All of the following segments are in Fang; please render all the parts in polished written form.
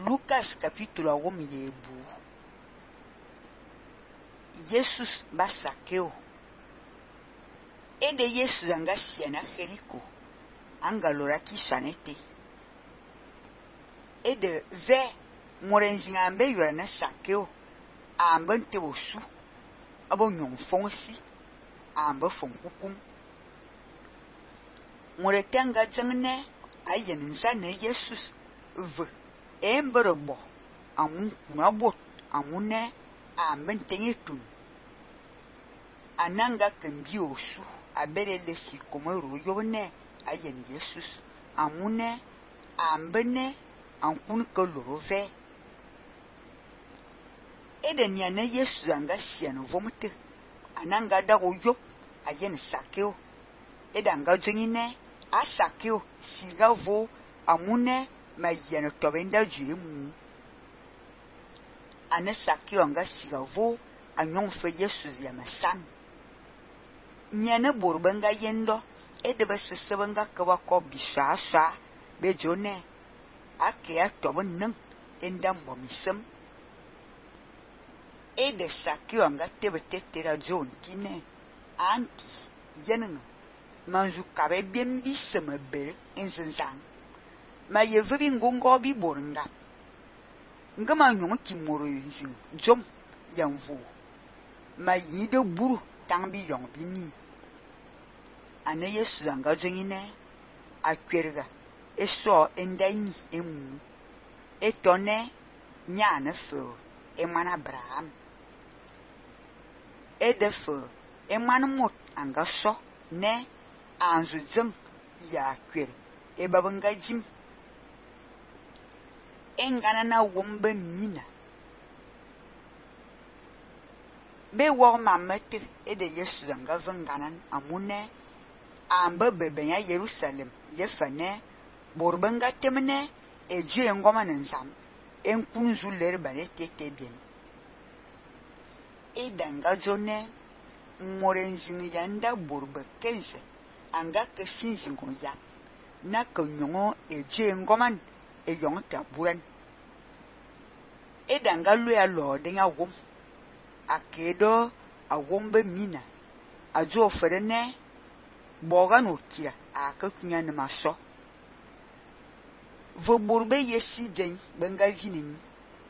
Lucas capítulo 1 Jesus ba Saqueu. Ede Jesus anga siana Jericho. Anga lora kishanete. Ede ve morenzinga ambe yora na Saqueu. Ambe nte osu. Abo nyon fonsi. Ambe fonkukum. Moretanga zangne ayen nzane Jesus ve. Emberebo amun kunabot amune ambe ntenye tun. Ananga kembi osu abere lesi komero yone ayen Jesus amune ambene ankun koloro ve. Eden yana Jesus anga siano vomte ananga dago yop ayen Saqueu. Edanga jengine a Saqueu siga vo amune ma yene tobenda juemu. Ane Saqueu anga siga vo anyon fe Jesus ya masan. Nyane borbenga yendo edebe sesebenga kawa ko bisasa bejone ake atobon nang endam bomisem. Ede Saqueu anga tebe tetera John kine anti yenenga manju kabe biembi semebe enzenzang. Ma yevebi ngongo bi boringa. Ngama nyon ki moro yinzin jom yanvu. Ma yide buru tangbi yon bini. Ane Yesu anga jengine akwerga. Eso endani emu. Etone nyane fe eman Abraham. Edefe eman mot anga so ne anzu jeng ya kwer. Ebabanga jim. Engana na wombe mina. Be wo mamete ede Yesu anga venganan amune ambe bebenya Jerusalem yefane borbenga temne eje ngoma nensam enkunzu ler bane tete bien. Edanga jone morenjini yanda borbe kense anga kesinzingo ya na konyongo eje ngoman eyong taburan. Edanga lua lo denga wom akedo awombe mina ajo ferene boga no kira akakunya ne maso vo borbe yesi den benga vinini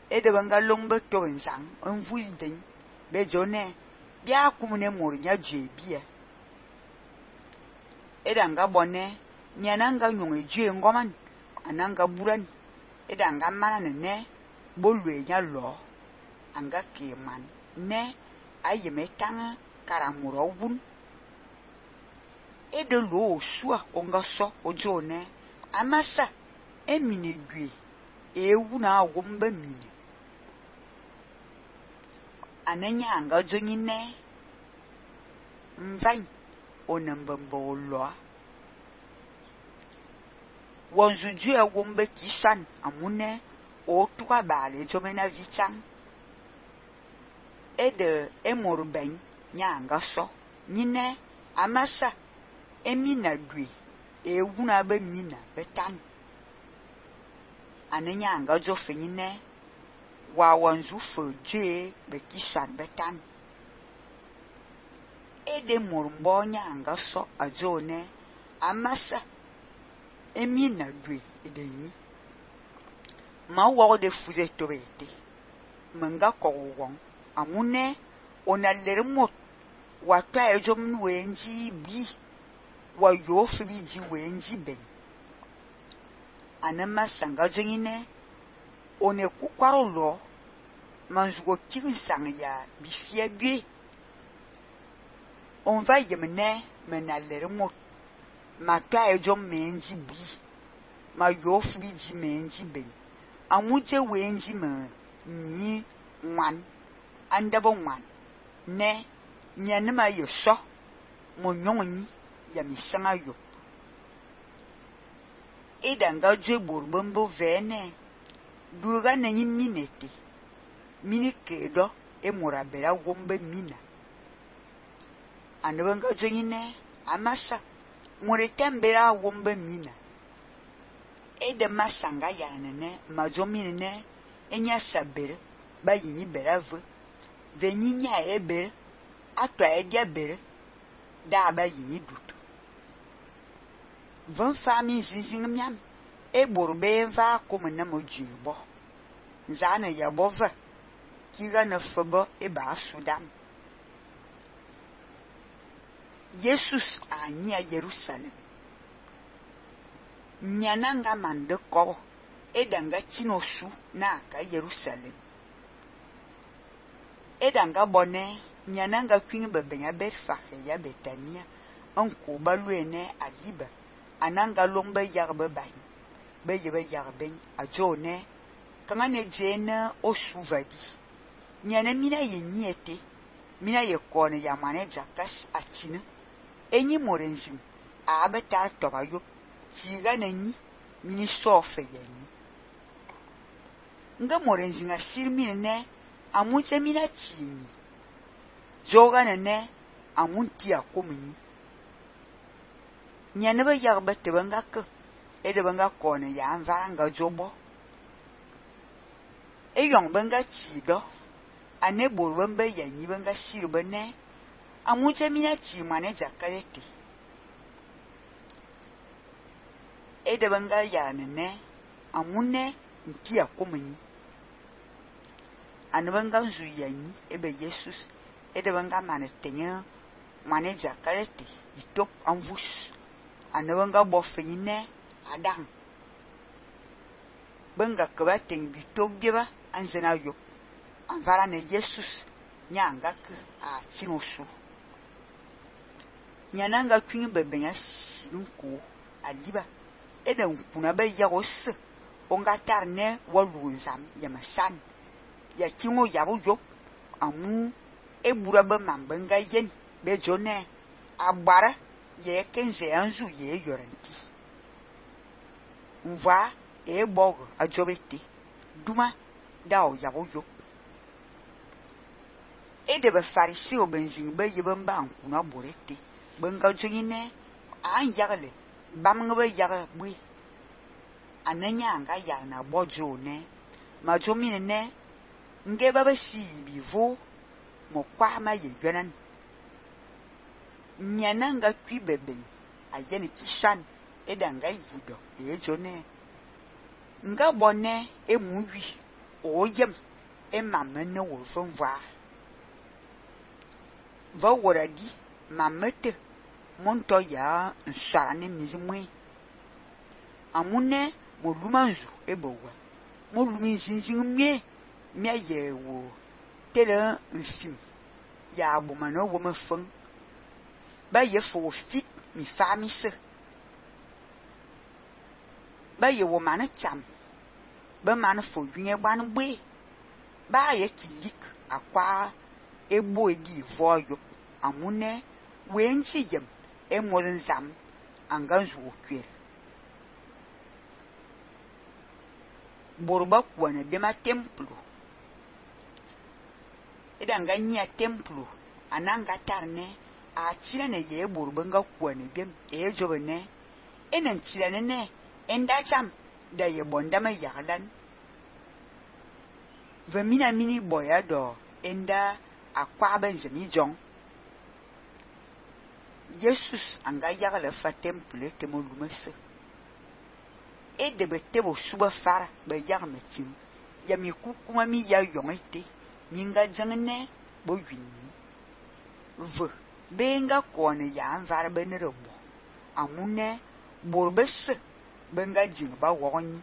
ede benga longbe to nzang envul den be jone bia kumune mornya jebia edanga bone nyananga nyonge je ngoman ananga buran edanga mana ne bolwe nya lo anga keman ne ayeme tanga karamuro wun ede lo sua onga so ojone amasa emini gwe ewu na wombe mini anenya anga jonyine mvan onambambo lo wonzu jua wombe kishan amune otuka bale jomena vichang ede emorben nyanga so nyine amasa emina dwe ewuna be mina betan anenya anga jo fenyine wa wanzu fo je be kishan betan ede mormbo nyanga so ajone amasa emina dwe edeni ma wo de fuze tobete manga ko won amune onaler mot watwa ejom wenji bi wa yo fbi ji wenji ben anama sanga jengine one kukwaro lo manjugo kinsang ya bifia gbe on va yemne menaler mot matwa ejom menji bi ma yo fbi ji menji ben amuje wenji me ni wan andabo wan ne nyanema yosho monyonyi ya misanga yo edanga jwe borbombo vene duga na minete minikedo emorabera wombe mina anabanga jonyine amasa moretembera wombe mina de masanga yanene majomine enya saber ba yini berave veninya ebe atwa edia ber da ba yini dut van fami zinzing miam borbe va komena mojibo nzana ya bova kiga na fobo ba sudam Jesus anya Jerusalem nyananga mande ko edanga chinosu na ka Jerusalem edanga bone nyananga kwin bebenya Betfage ya Betania onko baluene aliba ananga lomba yarbe bai beyebe yarben ajone kangane jena osuvadi nyana mina yeniete mina yekone ya mane jakas achina enyi morenzin abeta tobayo tiga nanyi mini sofe yeni nga morenzin asirmine ne amunche mina chini joga ne amunti akomuni nyana ba yarbe tebanga ke edebanga kone ya anvanga jobo eyong benga chido ane borwembe yanyi benga sirbe ne amunche mina chi mane jakalete edebanga yanene amune ntia komuni anebanga nzu yanyi ebe Jesus edebanga manetenya mane jakalete itop anvus anebanga bofenyine Adam benga kabateng bitop biba anzena yo anvara ne Jesus nyanga ke a chinosu nyananga kwin bebenya sinko aliba eden kuna be yagos onga tarne walunzam yamasan ya kingo yabu yo amu ebura be mambenga yen be jone agbara ye kenze anzu ye yorenti nva bog ajobete duma dao yabu yo de be farisi obenzin be yebamba ankuna borete benga jonyine an yagle bamnga yaga bui ananya anga yana bojo ne majomine ne nge baba si bivo mo kwa ma ye gwanan nyananga kwi beben ayene kishan edanga yido jone nga bone emuwi oyem emamene wo vonva va woradi mamete monto ya nsarane mizimwe amune molumanzu ebowa molumi zinzingmie mia yewo tele nfim ya abumano wo mefon ba ye fo fit mi famise ba ye wo mane cham ba mane fo yunye ban gbe ba ye kilik akwa ebo egi voyo amune wenchi yem emolenzam anganzu okwe borba kwane bema templo edanga nya templo ananga tarne a chirane ye borba nga kwane bem jobene enen chirane ne enda cham da ye bonda ma yaglan vemina mini boyado enda akwa benzemi jong Jesus anga yagala fa temple temolumese edebe tebo suba fara be yagmetim yami kukuma mi ya yongete minga jangene bo winni v benga kone ya anvar benerebo amune borbese benga jing ba woni